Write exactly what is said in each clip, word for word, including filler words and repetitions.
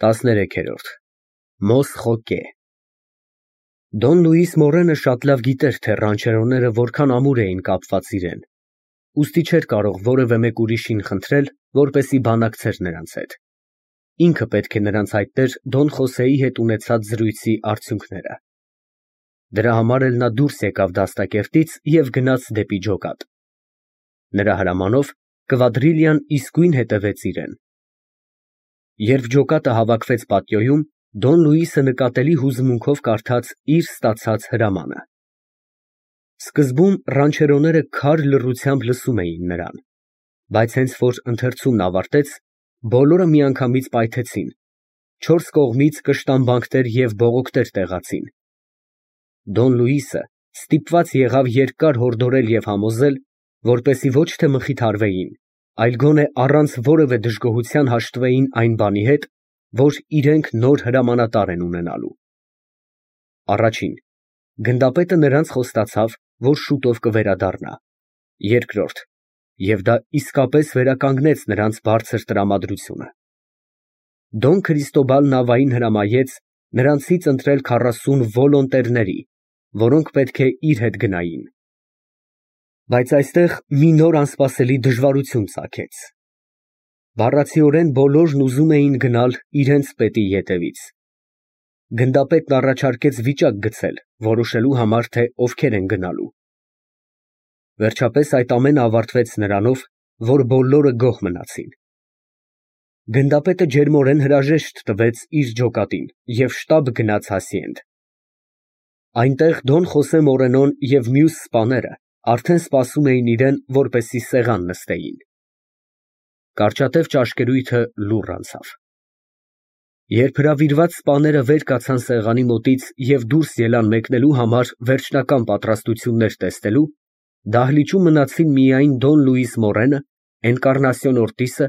տասներեքերորդ Մոսխոկե Դոն Լուիս Մորենը շատ լավ գիտեր, թե ռանչերոները որքան ամուր էին կապված իրեն, ուստի չէր կարող որևէ մեկ ուրիշին խնդրել, որպեսզի բանակցեր նրանց հետ. ինքը պետք է նրանց հայտներ Դոն Խոսեի հետ ունեցած զրույցի արդյունքները. դրա համար էլ նա դուրս եկավ դաստակերտից և գնաց դեպի ջոկատ. նրա հրամանով Կվադրիլյան իսկույն հետևեց իրեն. Երբ ջոկատը հավաքվեց պատիոյում, Դոն Լուիսը նկատելի հուզմունքով կարդաց իր ստացած հրամանը. Սկզբում ռանչերոները քար լռությամբ լսում էին նրան, բայց հենց որ ընթերցումն ավարտեց, բոլորը միանգամից պայթեցին, չորս կողմից կշտամբանքներ և բողոքներ տեղացին. Դոն Լուիսը ստիպված եղավ երկար հորդորել և համոզել, որպեսզի ոչ թե մխիթարվեին, այլ գոնե առանց որևէ դժգոհության հաշտվեին այն բանի հետ, որ իրենք նոր հրամանատար են ունենալու. Առաջին, գնդապետը նրանց խոստացավ, որ շուտով կվերադառնա, երկրորդ, և դա իսկապես վերականգնեց նրանց բարձր տրամադրությունը. Դոն Քրիստոբալ Նավային հրամայեց նրանցից ընտրել քառասուն վոլոնտերների, որոնք պետք է իր հետ գնային. Բայց այստեղ մի նոր անսպասելի դժվարություն ծագեց. բառացիորեն բոլորն ուզում էին գնալ իրենց պետի ետևից. Գնդապետն առաջարկեց վիճակ գցել, որոշելու համար, թե ովքեր են գնալու. Վերջապես այդ ամենը ավարտվեց նրանով, որ բոլորը գոհ մնացին. Գնդապետը ջերմորեն հրաժեշտ տվեց իր ջոկատին և շտապ գնաց Հասիենդ. այնտեղ Դոն Խոսե Մորենոն և մյուս սպաները արդեն սպասում էին իրեն, որպեսզի սեղան նստեին. Կարճատև ճաշկերույթը լուռ անցավ. Երբ հրավիրված սպաները վեր կացան սեղանի մոտից և դուրս ելան մեկնելու համար վերջնական պատրաստություններ տեսնելու, դահլիճում մնացին միայն Դոն Լուիս Մորենը, Էնկառնասիոն Օրտիսը,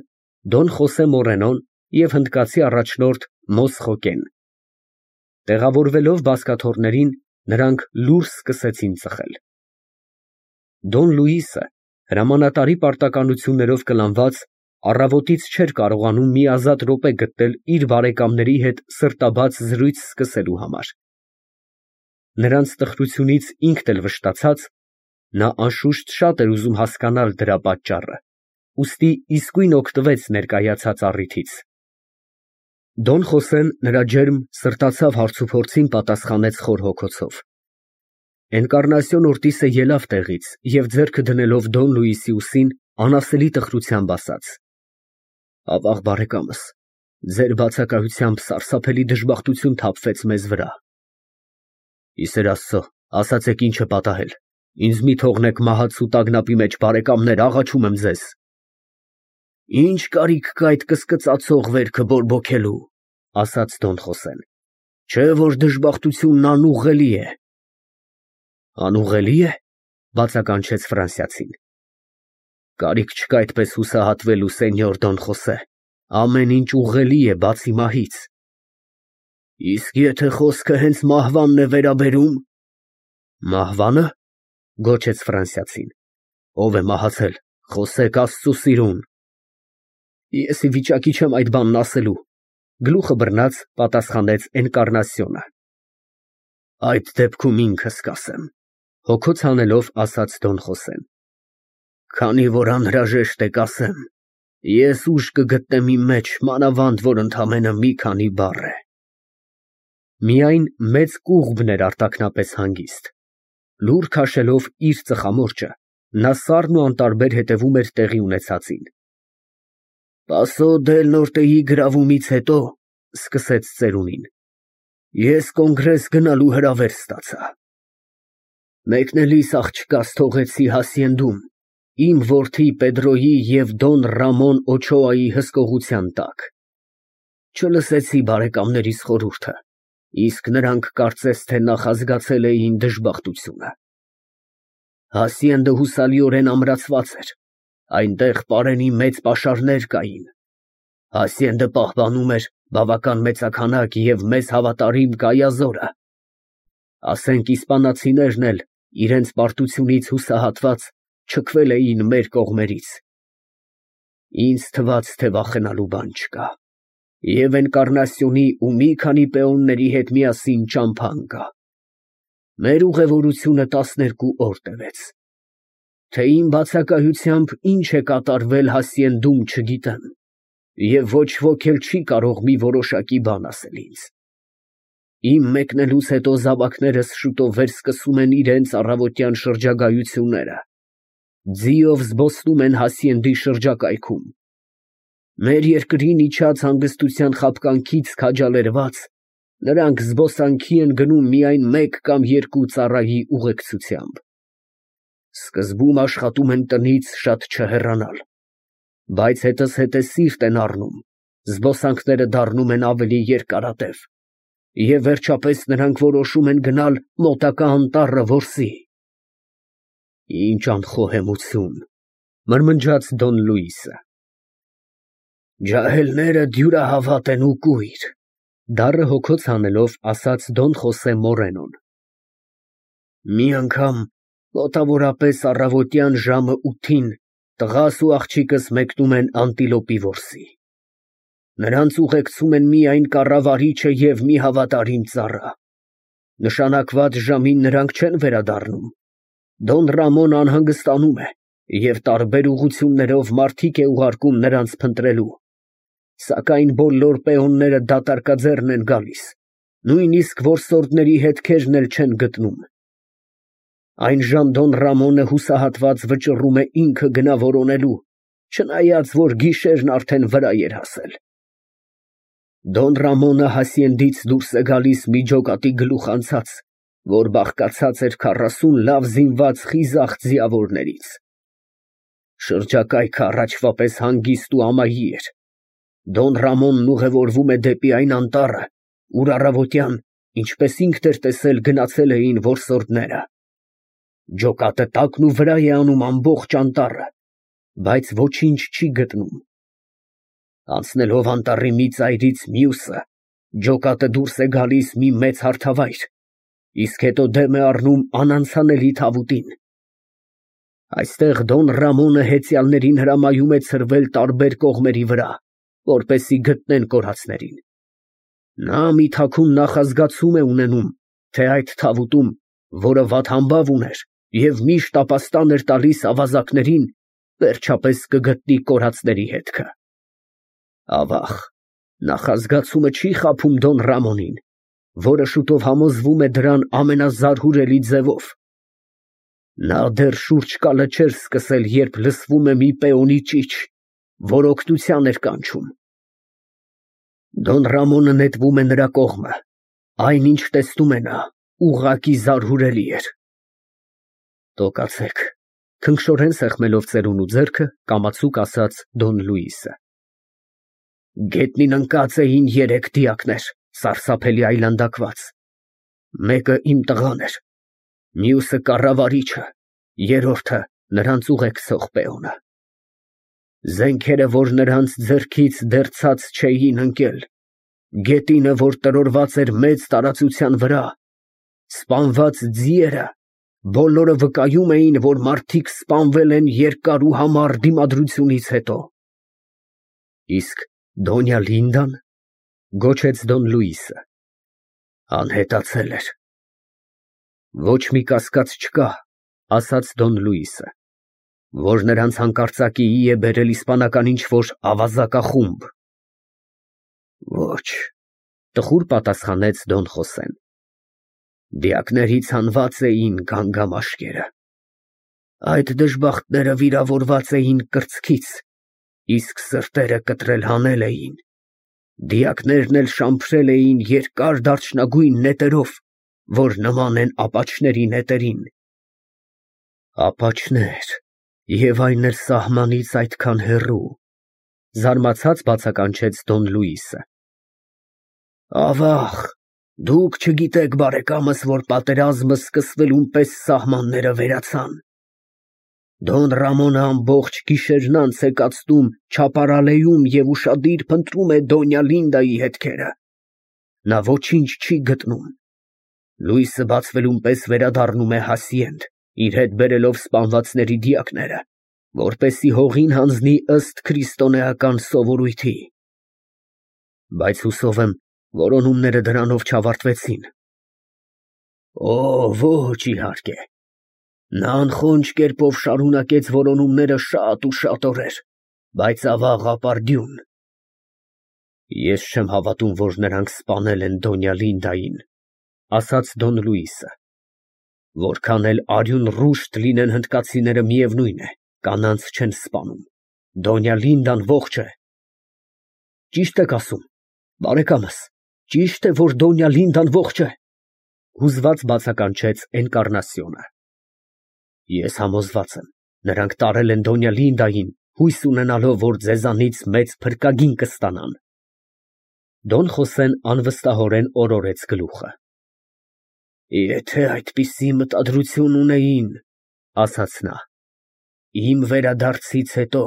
Դոն Խոսե Մորենոն և հնդկացի առաջնորդ Մոսխոկեն. տեղավորվելով բազկաթոռներին, նրանք լուռ սկսեցին ծխել. Դոն Լուիսը, հրամանատարի պարտականություններով կլանված, առավոտից չէր կարողանում մի ազատ րոպե գտնել իր բարեկամների հետ սրտաբաց զրույց սկսելու համար. նրանց տխրությունից ինքն էլ վշտացած, նա անշուշտ շատ էր ուզում հասկանալ դրա պատճառը, ուստի իսկույն օգտվեց ներկայացած առիթից. Դոն Խոսեն նրա ջերմ, սրտացավ հարցուփորձին պատասխանեց խոր հոգոցով. Էնկառնասիոն Օրտիսը ելավ տեղից և ձեռքը դնելով Դոն Լուիսի ուսին, անասելի տխրությամբ ասաց. Ավաղ բարեկամս, ձեր բացակայությամբ սարսափելի դժբախտություն թափվեց մեզ վրա. ի սեր Աստծո, ասացեք ինչ է պատահել, ինձ մի թողնեք մահացու տագնապի մեջ, բարեկամներ, աղաչում եմ ձեզ. Ինչ կարիք կա այդ կսկծացող վերքը բորբոքելու, ասաց Դոն Խոսեն, չէ որ դժբախտությունն անուղղելի է. Անուղղելի է, բացականչեց ֆրանսիացին. Կարիք չկա այդպես հուսահատվելու, սենյոր Դոն Խոսե, ամեն ինչ ուղղելի է, բացի մահից. Իսկ եթե խոսքը հենց մահվանն է վերաբերում. Մահվա՞նը, գոչեց ֆրանսիացին, ով է մահացել, խոսեք Աստծու սիրուն. Ես ի վիճակի չեմ այդ բանն ասելու, գլուխը բռնած պատասխանեց Էնկառնասիոնը. Այդ դեպքում ինքս կասեմ, հոգոց հանելով ասաց Դոն Խոսեն. Քանի որ անհրաժեշտ է կասեմ, ես ուժ կգտնեմ իմ մեջ, մանավանդ որ ընդամենը մի քանի բառ է. Միայն մեծ կուղբն էր արտաքնապես հանգիստ. լուռ քաշելով իր ծխամորճը, նա սառն ու անտարբեր հետևում էր տեղի ունեցածին. Պասո դել Նորտեի գրավումից հետո, սկսեց ծերունին, ես կոնգրես գնալու հրավեր ստացա. Մեկնելիս աղջկաս թողեցի Հասիենդում, իմ որդի Պեդրոյի և Դոն Ռամոն Օչոայի հսկողության տակ. Չլսեցի բարեկամներիս խորհուրդը, իսկ նրանք կարծես թե նախազգացել էին դժբախտությունը. Հասիենդը հուսալիորեն ամրացված էր, այնտեղ պարենի մեծ պաշարներ կային, Հասիենդը պահպանում էր բավական մեծաքանակ և մեզ հավատարիմ կայազորը, ասենք իսպանացիներն էլ իրենց պարտությունից հուսահատված չքվել էին մեր կողմերից. ինձ թվաց, թե վախենալու բան չկա, Եվ Էնկառնասիոնի ու մի քանի պեոնների հետ միասին ճամփա ընկա։ Մեր ուղևորությունը տասներկու օր տևեց։ Թե իմ բացակայությամբ ինչ է կատարվել Հասիենդում չգիտեմ, և ոչ ոք էլ չի կարող մի որոշակի բան ասել ինձ։ Իմ մեկնելուց հետո զավակներս շուտով վերսկսում են իրենց առավոտյան շրջագայությունները, ձիով զբոսնում են Հասիենդի շրջակայքում։ Մեր երկրին իջած հանգստության խաբկանքից քաջալերված, նրանք զբոսանքի են գնում միայն մեկ կամ երկու ծառայի ուղեկցությամբ։ Սկզբում աշխատում են տնից շատ չհեռանալ, բայց հետզհետե սիրտ են առնում, զբոսանքները դառնում են ավելի երկարատև, և վերջապես նրանք որոշում են գնալ մոտակա անտառը որսի։ Ինչ անխոհեմություն, մրմնջաց Դոն Լուիսը։ Ջահելները դյուրահավատ են ու կույր, դառը հոգոց հանելով ասաց Դոն Խոսե Մորենոն։ Մի անգամ մոտավորապես առավոտյան ժամը ութին տղաս ու աղջիկս մեկնում են անտիլոպի որսի։ Նրանց ուղեկցում են միայն կառավարիչը և մի հավատարիմ ծառա։ Նշանակված ժամին նրանք չեն վերադառնում։ Դոն Ռամոն անհանգստանում է և տարբեր ուղղություններով մարդիկ է ուղարկում նրանց փնտրելու, սակայն բոլոր պեոնները դատարկաձեռն են գալիս, նույնիսկ որսորդների հետքերն էլ չեն գտնում։ Այնժամ Դոն Ռամոնը հուսահատված վճռում է ինքը գնա որոնելու, չնայած որ գիշերն արդեն վրա էր հասել։ Դոն Ռամոնը Հասիենդից դուրս է գալիս մի ջոկատի գլուխ անցած, որ բաղկացած էր քառասուն լավ զինված խիզախ ձիավորներից։ Շրջակայքը առաջվա պես հանգիստ ու ամայի էր։ Դոն Ռամոնն ուղևորվում է դեպի այն անտառը, ուր առավոտյան, ինչպես ինքն էր տեսել, գնացել էին որսորդները։ Ջոկատը տակն ու վրա է անում ամբողջ անտառը, բայց ոչինչ չի գտնում։ Անցնելով անտառի մի ծայրից մյուսը, ջոկատը դուրս է գալիս մի մեծ հարթավայր, իսկ հետո դեմ է առնում անանցանելի թավուտին։ Այստեղ Դոն Ռամոնը հեծյալներին հրամայում է ցրվել տարբեր կողմերի վրա, որպեսզի գտնեն կորածներին։ Նա մի թաքուն նախազգացում է ունենում, թե այդ թավուտում, որը վատհամբավ ուներ և միշտ ապաստան էր տալիս ավազակներին, վերջապես կգտնի կորածների հետքը։ Ավաղ, նախազգացումը չի խաբում Դոն Ռամոնին, որը շուտով համոզվում է դրան ամենազարհուրելի ձևով։ Նա դեռ շուրջկալը չէր սկսել, երբ լսվում է մի պեոնի ճիչ, որ օգնության էր կանչում։ Դոն Ռամոնը նետվում է նրա կողմը, այնինչ տեսնում է նա, ուղղակի զարհուրելի էր։ Տոկացեք, քնքշորեն սեղմելով ծերունու ձեռքը, կամացուկ ասաց Դոն Լուիսը։ Գետնին ընկած էին երեք դիակներ, սարսափելի այլանդակված։ Մեկը իմ տղան էր, մյուսը կառավարիչը, երրորդը նրանց ուղեկցող պեոնը։ Զենքերը, որ նրանց ձեռքից դեռ ցած չէին ընկել, գետինը, որ տրորված էր մեծ տարածության վրա, սպանված ձիերը, բոլորը վկայում էին, որ մարդիկ սպանվել են երկար ու համառ դիմադրությունից հետո։ Իսկ Դոնյա Լինդան, գոչեց Դոն Լուիսը, անհետացել էր։ Ոչ մի կասկած չկա, ասաց Դոն Լուիսը, որ նրանց հանկարծակիի է բերել իսպանական ինչ-որ ավազակախումբ։ Ոչ, տխուր պատասխանեց Դոն Խոսեն։ Դիակներից հանված էին գանգամաշկերը։ Այդ դժբախտները վիրավորված էին կրծքից, իսկ սրտերը կտրել հանել էին։ Դիակներն էլ շամփրել էին երկար դարչնագույն նետերով, որ նման են ապաչների նետերին։ Ապաչներ, և այն էլ սահմանից այդքան հեռու, զարմացած բացականչեց Դոն Լուիսը։ Ավաղ, դուք չգիտեք, բարեկամս, որ պատերազմը սկսվելուն պես սահմանները վերացան։ Դոն Ռամոնը ամբողջ գիշերն անց է կացնում Չապարալեում և ուշադիր փնտրում է Դոնյա Լինդայի հետքերը։ Նա ոչինչ չի գտնում։ Լույսը բացվելուն պես վերադառնում է Հասիենդ, իր հետ բերելով սպանվածների դիակները, որպեսզի հողին հանձնի ըստ քրիստոնեական սովորույթի։ Բայց հուսով եմ, որոնումները դրանով չավարտվեցին։ Օ, ոչ, իհարկե։ Նա անխոնջ կերպով շարունակեց որոնումները շատ ու շատ օրեր, բայց ավաղ ապարդյուն։ Ես չեմ հավատում, որ նրանք սպանել են Դոնյա Լինդային, ասաց Դոն Լուիսը։ Որքան էլ արյուն ռուշտ լինեն հնդկացիները, միևնույն է, կանանց չեն սպանում։ Դոնյա Լինդան ողջ է։ Ճիշտ եք ասում, բարեկամս, ճիշտ է, որ Դոնյա Լինդան ողջ է, հուզված բացականչեց Էնկառնասիոնը։ Ես համոզված եմ, նրանք տարել են Դոնյա Լինդային, հույս ունենալով, որ ձեզանից մեծ փրկագին կստանան։ Դոն Խոսեն անվստահորեն օրորեց գլուխը։ Եթե այդպիսի մտադրություն ունեին, ասաց նա, իմ վերադարձից հետո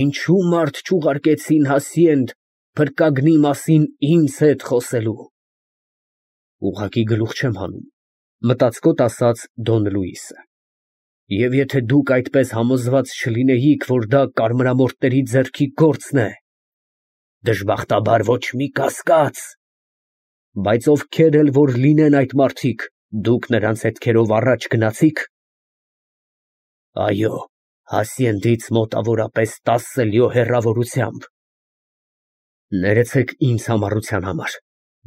ինչու մարդ չուղարկեցին Հասիենդ փրկագնի մասին ինձ հետ խոսելու։ Ուղղակի գլուխ չեմ հանում, մտածկոտ ասաց Դոն Լուիսը։ Եվ եթե դուք այդպես համոզված չլինեիք, որ դա կարմրամորթների ձեռքի գործն է, դժբախտաբար ոչ մի կասկած, բայց ովքեր էլ որ լինեն այդ մարդիկ, դուք նրանց հետքերով առաջ գնացի՞ք։ Այո, Հասիենդից մոտավորապես տասը լյո հեռավորությամբ։ Ներեցեք ինձ համառության համար,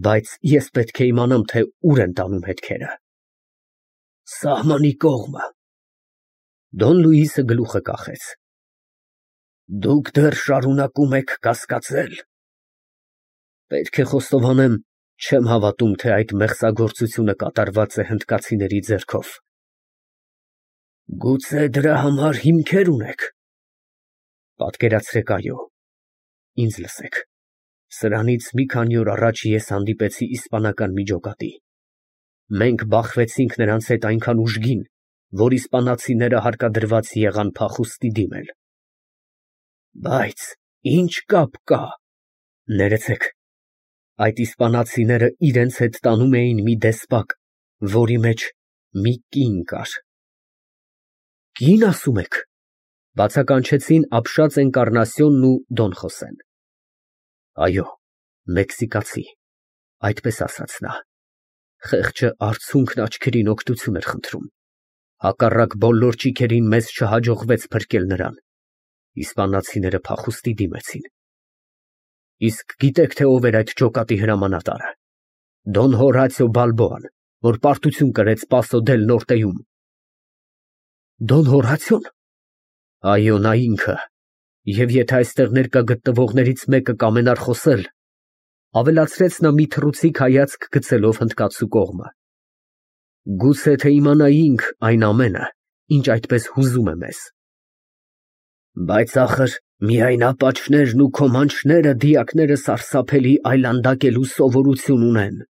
բայց ես պետք է իմանամ, թե ուր են տանում հետքերը։ Սահմանի կողմը։ Դոն Լուիսը գլուխը կախեց։ Դուք դեռ շարունակում եք կասկածել։ Պետք է խոստովանեմ, չեմ հավատում, թե այդ մեղսագործությունը կատարված է հնդկացիների ձեռքով։ Գուցե դրա համար հիմքեր ունեք։ Պատկերացրեք, այո։ Ինձ լսեք։ Սրանից մի քանի օր առաջ ես հանդիպեցի իսպանական միջոկատի։ Մենք բախվեցինք նրանց հետ այնքան ուժգին, որ իսպանացիները հարկադրված եղան փախուստի դիմել։ Բայց ինչ կապ կա։ Ներեցեք, այդ իսպանացիները իրենց հետ տանում էին մի դեսպակ, որի մեջ մի կին կար։ Կին ասում եք, բացականչեցին ապշած Էնկառնասիոնն ու Դոն Խոսեն։ Այո, մեքսիկացի, այդպես ասաց նա։ Խեղճը արցունքն աչքերին օգնություն էր խնդրում։ Հակառակ բոլոր ճիգերին մեզ չհաջողվեց փրկել նրան։ Իսպանացիները փախուստի դիմեցին։ Իսկ գիտեք, թե ով էր այդ ջոկատի հրամանատարը։ Դոն Հորացիո Բալբոան, որ պարտություն կրեց Պասո դել Նորտեում։ Դոն Հորացիոն։ Այո, նա ինքը։ Եվ եթե այստեղ ներկա գտնվողներից մեկը կամենար խոսել, ավելացրեց նա մի թռուցիկ հայացք գցելով հնդկացու կողմը, գուցե թե իմանայինք այն ամենը, ինչ այդպես հուզում է մեզ։ Բայց ախր միայն ապաչներն ու քոմանչները դիակները սարսափելի այլանդակելու սովորություն ունեն։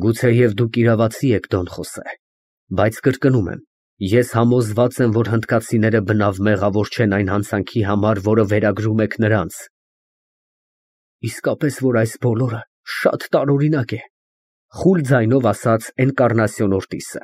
Գուցեև դուք իրավացի եք, Դոն Խոսե, բայց կրկնում եմ, ես համոզված եմ, որ հնդկացիները բնավ մեղավոր չեն այն հանցանքի համար, որը վերագրում եք նրանց։ Իսկապես, որ այս բոլորը շատ տարօրինակ է, խուլ ձայնով ասաց Էնկառնասիոն Օրտիսը։